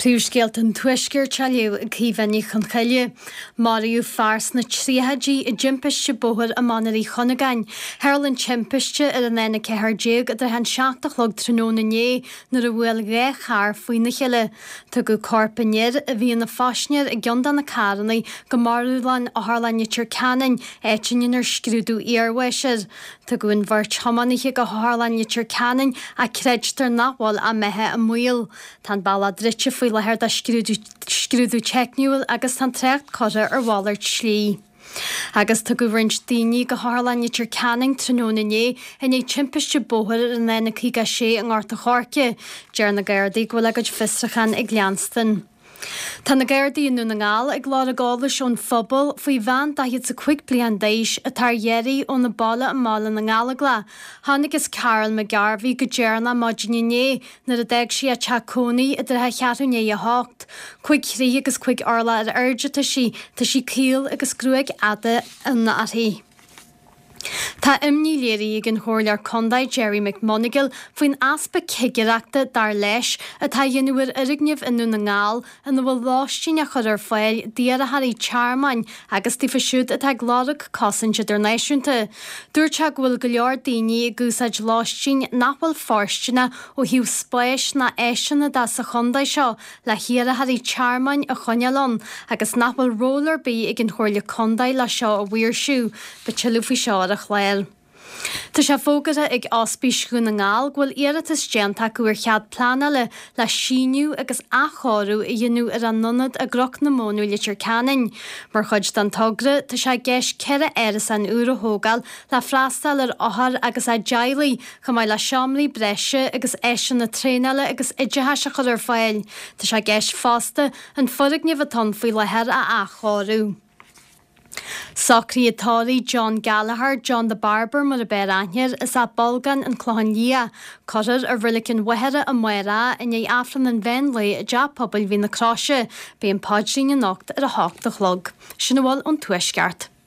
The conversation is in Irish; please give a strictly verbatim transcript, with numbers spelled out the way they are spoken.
Príomhscéalta an Tuaiscirt á léamh ag Caoimhe Ní Chonchoille. Maraíodh fear sna tríochaidí i dtimpiste bóthair i Machaire Uí Chuinneagáin. Tharla an timpiste ar an N a ceathair déag i dtrátha an seacht a chlog tráthnóna inné nuair a bhuail dhá charr faoina chéile. Tugadh corp an fhir, a bhí ina phaisinéir i gceann de na carranna, go marbhlann Otharlann Leitir Ceanainn, áit a ndéanfar scrúdú iarbháis air. Tugadh an bheirt thiománaithe go hOtharlann Leitir Ceanainn ach creidtear nach bhfuil a mbeatha i mbaol. Tá an bealach druidte faoi láthair do scrúdú teicniúil agus tá an trácht curtha ar mhalairt slí. Agus tugadh roinnt daoine go hOtharlann Leitir Ceanainn tráthnóna inné i ndiaidh timpiste bóthair ar an N caoga a sé i nGort a' Choirce. Deir na Gardaí go bhfuil a gcuid fiosrúchán ag leanstan. Tá na Gardaí i nDún na nGall ag lorg eolais ón phobal faoi bhean daichead 's a cúig bliain d'aois atá ar iarraidh óna baile i mBaile na nGallóglach. Chonacthas Carol McGarvey go deireanach maidin inné nuair a d'fhág sí a teach cónaí i dtrátha cheathrú i ndiaidh a hocht. Cúig throigh agus cúig orlach ar airde atá sí, tá sí caol agus gruaig fhada fhionn uirthi. Tá imní léirithe ag an Chomhairleoir Contae Gerry McMonagall faoin easpa cigireachta, dar leis, atá á dhéanamh ar fhoirgnimh i nDún na nGall ina bhfuil lóistín á chur ar fáil d'iarrthóirí tearmainn agus daofa siúd atá ag lorg cosaint idirnáisiúnta. Dúirt sé go bhfuil go leor daoine ag úsáid lóistín nach bhfuil fóirsteanach ó thaobh spáis ná áiseanna de sa chontae seo le hiarrthóirí tearmainn a choinneáil ann agus nach bhfuil ról ar bith ag an Chomhairle Contae le seo a mhaoirsiú. Beidh tuilleadh faoi seo ar an chlár. Tá sé fógartha ag Ospís Dhún na nGall go bhfuil iarratas déanta acu ar chead pleanála le síneadh agus athchóiriú a dhéanamh ar a n-ionad i gCnoc na Móna, Leitir Ceanainn. Mar chuid den togra, tá sé i gceist ceithre árasán úr a thógáil le freastal ar othair agus a dteaghlaigh, chomh maith le seomraí breise agus áiseanna traenála agus oideachais a chur ar fáil. Tá sé i gceist fosta an foirgneamh atá ann faoi láthair a athchóiriú. Socruithe tórraimh John Gallagher, John the Barber mar ab fhearr aithne air, as Áth Bolgáin, An Clochán Liath. Cuirfear i Reilig an Mhachaire amárach i ndiaidh Aifreann an mheán lae i dTeach Pobail Mhín na Croise. Beidh an paidrín anocht ar a hocht a chlog. Sin a bhfuil ón Tuaisceart.